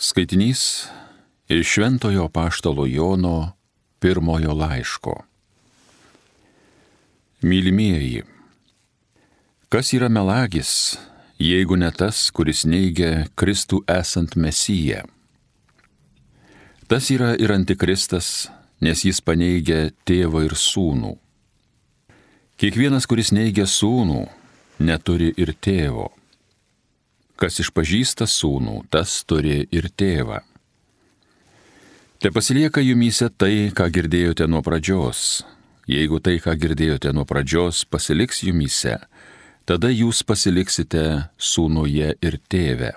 Skaitinys iš Šventojo apaštalo Jono pirmojo laiško. Mylimieji, kas yra melagis, jeigu ne tas, kuris neigia Kristų esant Mesiją? Tas yra ir antikristas, nes jis paneigia tėvą ir sūnų. Kiekvienas, kuris neigia sūnų, neturi ir tėvo. Kas išpažįsta sūnų, tas turi ir tėvą. Te pasilieka jumyse tai, ką girdėjote nuo pradžios. Jeigu tai, ką girdėjote nuo pradžios, pasiliks jumyse, tada jūs pasiliksite sūnuje ir tėve.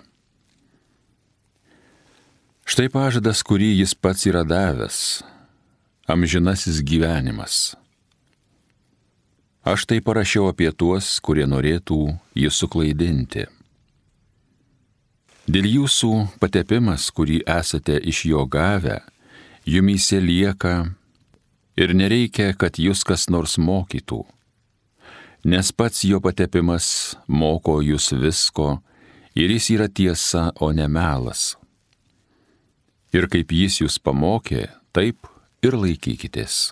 Štai pažadas, kurį jis pats yra davęs, amžinasis gyvenimas. Aš tai parašiau apie tuos, kurie norėtų jį suklaidinti. Dėl jūsų patepimas, kurį esate iš jo gavę, jumyse lieka ir nereikia, kad jūs kas nors mokytų, nes pats jo patepimas moko jūs visko ir jis yra tiesa, o ne melas. Ir kaip jis jūs pamokė, taip ir laikykitės.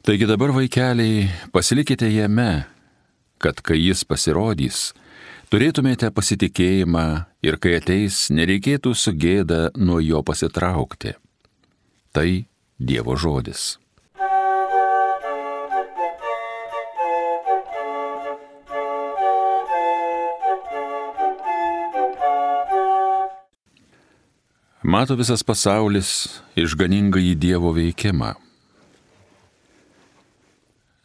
Taigi dabar, vaikeliai, pasilikite jame, kad kai jis pasirodys, turėtumėte pasitikėjimą ir kai ateis, nereikėtų su gėda nuo jo pasitraukti. Tai Dievo žodis. Mato visas pasaulis išganingąjį Dievo veikimą.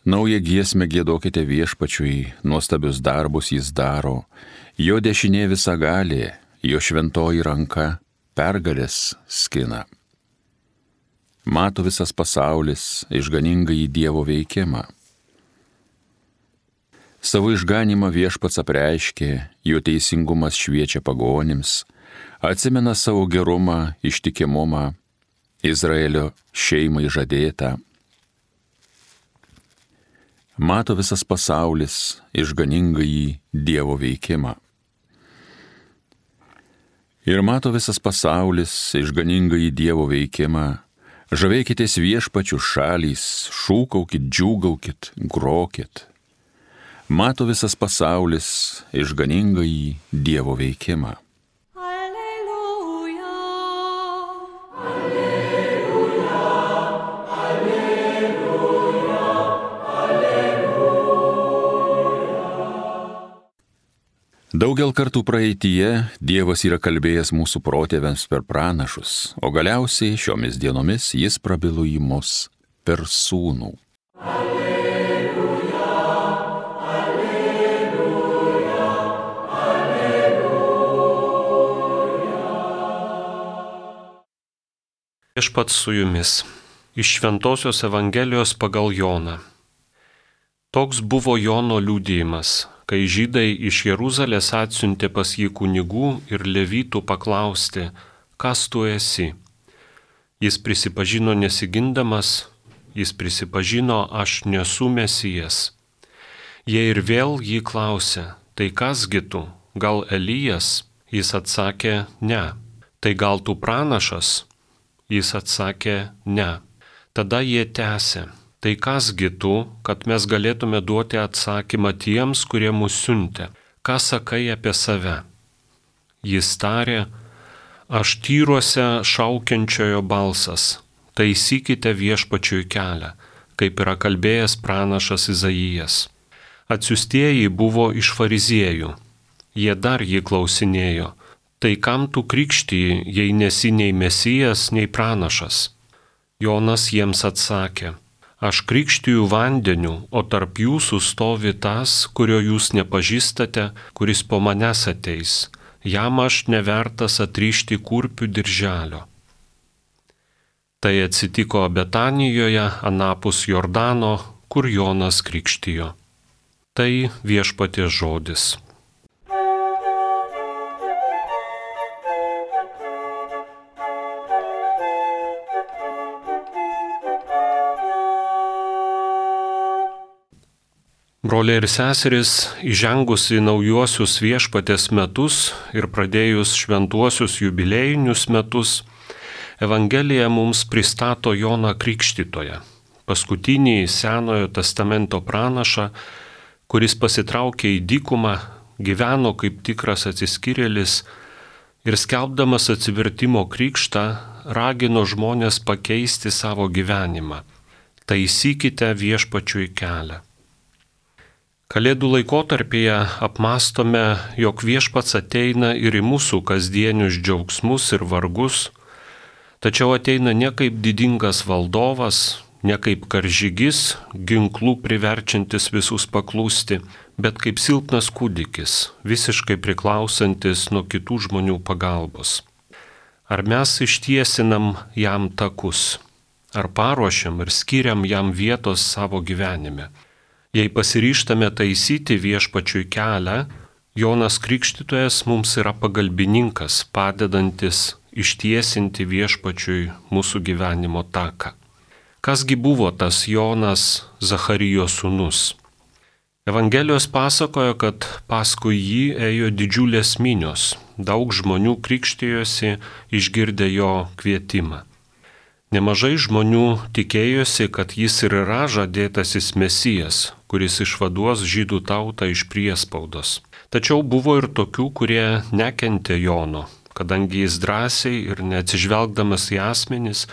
Naują giesmę giedokite viešpačiui, nuostabius darbus jis daro, jo dešinė visagalė, jo šventoji ranka pergalės skina. Mato visas pasaulis išganingąjį Dievo veikimą. Savo išganimą viešpats apreiškė, jo teisingumas šviečia pagonims, atsimena savo gerumą, ištikimumą, Izraelio šeimai žadėtą. Mato visas pasaulis išganingąjį Dievo veikimą. Ir mato visas pasaulis išganingąjį Dievo veikimą. Žavėkitės viešpačių šalys, šūkaukit, džiūgaukit, grokit. Mato visas pasaulis išganingąjį Dievo veikimą. Daugel kartų praeityje Dievas yra kalbėjęs mūsų protėviams per pranašus, o galiausiai šiomis dienomis jis prabilo į mus per sūnų. Alleluja, alleluja, alleluja. Viešpats su jumis. Iš Šventosios Evangelijos pagal Joną. Toks buvo Jono liudijimas, kai žydai iš Jeruzalės atsiuntė pas jį kunigų ir levitų paklausti, kas tu esi. Jis prisipažino nesigindamas, jis prisipažino, aš nesu Mesijas. Jie ir vėl jį klausė, tai kasgi tu, gal Elijas? Jis atsakė, ne. Tai gal tu pranašas? Jis atsakė, ne. Tada jie tęsė. Tai kasgi tu, kad mes galėtume duoti atsakymą tiems, kurie mus siuntė? Ką sakai apie save? Jis tarė, aš tyruose šaukiančiojo balsas, taisykite viešpačiui kelią, kaip yra kalbėjęs pranašas Izaijas. Atsiųstieji buvo iš fariziejų. Jie dar jį klausinėjo, tai kam tu krikštiji, jei nesi nei Mesijas, nei pranašas? Jonas jiems atsakė, aš krikštiju vandeniu, o tarp jūsų stovi tas, kurio jūs nepažįstate, kuris po manęs ateis. Jam aš nevertas atrišti kurpių dirželio. Tai atsitiko Betanijoje, anapus Jordano, kur Jonas krikštijo. Tai viešpaties žodis. Broliai ir seserys, įžengus į naujuosius viešpaties metus ir pradėjus šventuosius jubiliejinius metus, Evangelija mums pristato Joną Krikštytoją, paskutinį Senojo testamento pranašą, kuris pasitraukė į dykumą, gyveno kaip tikras atsiskyrėlis ir skelbdamas atsivertimo krikštą ragino žmonės pakeisti savo gyvenimą. Taisykite viešpačiui kelią. Kalėdų laikotarpyje apmastome, jog viešpats ateina ir į mūsų kasdienius džiaugsmus ir vargus, tačiau ateina ne kaip didingas valdovas, ne kaip karžygis, ginklų priverčiantis visus paklusti, bet kaip silpnas kūdikis, visiškai priklausantis nuo kitų žmonių pagalbos. Ar mes ištiesinam jam takus, ar paruošiam ir skiriam jam vietos savo gyvenime? Jei pasiryžtame taisyti viešpačiui kelią, Jonas Krikštytojas mums yra pagalbininkas, padedantis ištiesinti viešpačiui mūsų gyvenimo taką. Kasgi buvo tas Jonas, Zacharijo sūnus? Evangelijos pasakoja, kad paskui jį ėjo didžiulės minios, daug žmonių krikštijosi išgirdę jo kvietimą. Nemažai žmonių tikėjosi, kad jis ir yra žadėtasis Mesijas, kuris išvaduos žydų tautą iš priespaudos. Tačiau buvo ir tokių, kurie nekentė Jono, kadangi jis drąsiai ir neatsižvelgdamas į asmenis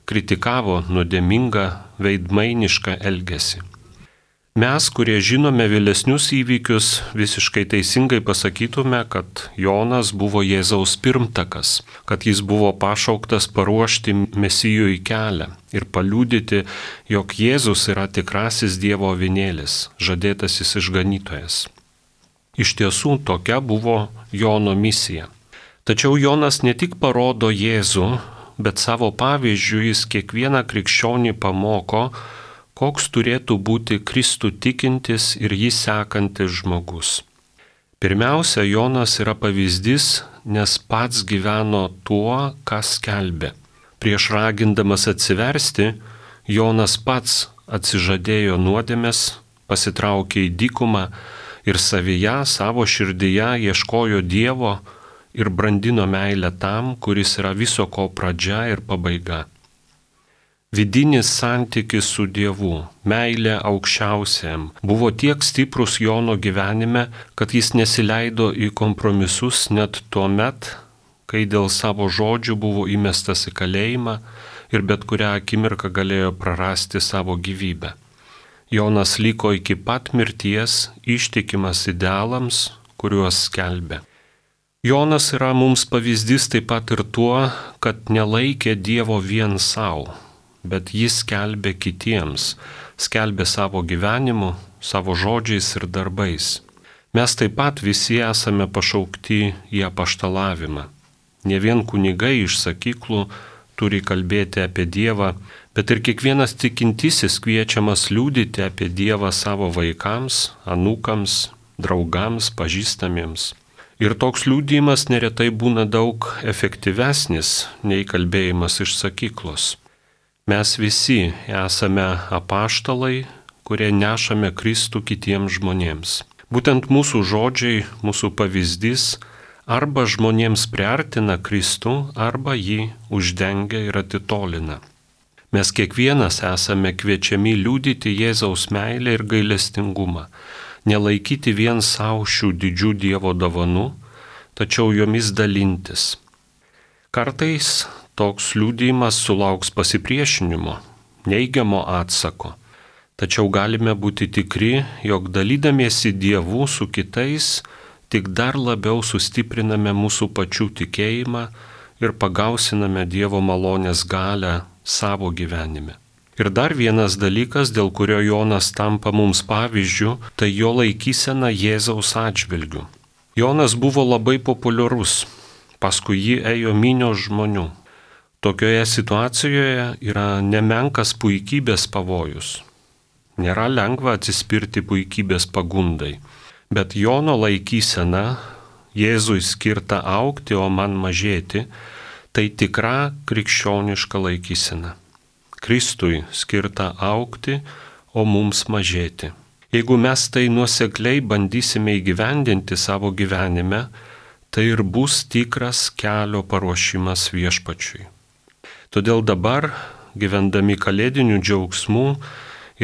kritikavo nuodėmingą veidmainišką elgesį. Mes, kurie žinome vėlesnius įvykius, visiškai teisingai pasakytume, kad Jonas buvo Jėzaus pirmtakas, kad jis buvo pašauktas paruošti Mesijui kelią ir paliudyti, jog Jėzus yra tikrasis Dievo avinėlis, žadėtasis išganytojas. Iš tiesų tokia buvo Jono misija. Tačiau Jonas ne tik parodo Jėzų, bet savo pavyzdžių jis kiekvieną krikščionį pamoko, koks turėtų būti Kristų tikintis ir jį sekantis žmogus. Pirmiausia, Jonas yra pavyzdys, nes pats gyveno tuo, ką skelbė. Prieš ragindamas atsiversti, Jonas pats atsižadėjo nuodėmės, pasitraukė į dykumą ir savyje, savo širdyje ieškojo Dievo ir brandino meilę tam, kuris yra viso ko pradžia ir pabaiga. Vidinis santykis su Dievu, meilė aukščiausiam, buvo tiek stiprus Jono gyvenime, kad jis nesileido į kompromisus net tuo met, kai dėl savo žodžių buvo įmestas į kalėjimą ir bet kurią akimirką galėjo prarasti savo gyvybę. Jonas liko iki pat mirties ištikimas idealams, kuriuos skelbė. Jonas yra mums pavyzdys taip pat ir tuo, kad nelaikė Dievo vien savo, bet jis skelbė kitiems, skelbė savo gyvenimu, savo žodžiais ir darbais. Mes taip pat visi esame pašaukti į apaštalavimą. Ne vien kunigai iš sakyklų turi kalbėti apie Dievą, bet ir kiekvienas tikintysis kviečiamas liudyti apie Dievą savo vaikams, anūkams, draugams, pažįstamiems. Ir toks liudijimas neretai būna daug efektyvesnis nei kalbėjimas iš sakyklos. Mes visi esame apaštalai, kurie nešame Kristų kitiems žmonėms. Būtent mūsų žodžiai, mūsų pavyzdys arba žmonėms priartina Kristų, arba jį uždengia ir atitolina. Mes kiekvienas esame kviečiami liudyti Jėzaus meilę ir gailestingumą, nelaikyti vien savo šių didžių Dievo dovanų, tačiau jomis dalintis. Kartais toks liudijimas sulauks pasipriešinimo, neigiamo atsako, tačiau galime būti tikri, jog dalydamiesi Dievu su kitais, tik dar labiau sustipriname mūsų pačių tikėjimą ir pagausiname Dievo malonės galią savo gyvenime. Ir dar vienas dalykas, dėl kurio Jonas tampa mums pavyzdžiu, tai jo laikysena Jėzaus atžvilgiu. Jonas buvo labai populiarus, paskui jį ėjo minios žmonių. Tokioje situacijoje yra nemenkas puikybės pavojus. Nėra lengva atsispirti puikybės pagundai, bet Jono laikysena, Jėzui skirta augti, o man mažėti, tai tikra krikščioniška laikysena. Kristui skirta augti, o mums mažėti. Jeigu mes tai nuosekliai bandysime įgyvendinti savo gyvenime, tai ir bus tikras kelio paruošimas viešpačiui. Todėl dabar, gyvendami kalėdinių džiaugsmų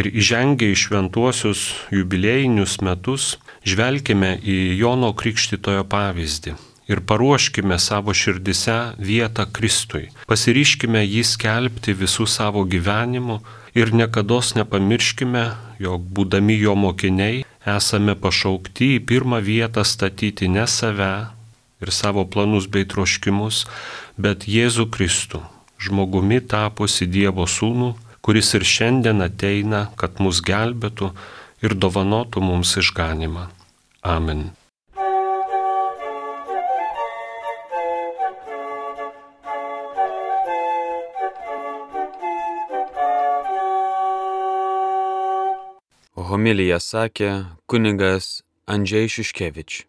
ir įžengę į šventuosius jubiliejinius metus, žvelkime į Jono Krikštytojo pavyzdį ir paruoškime savo širdise vietą Kristui. Pasiryškime jį skelbti visų savo gyvenimu ir niekados nepamirškime, jog būdami jo mokiniai esame pašaukti į pirmą vietą statyti ne save ir savo planus bei troškimus, bet Jėzų Kristų, žmogumi tapusi Dievo Sūnų, kuris ir šiandien ateina, kad mus gelbėtų ir dovanotų mums išganimą. Amen. Homiliją sakė kunigas Andžej Šiškevič.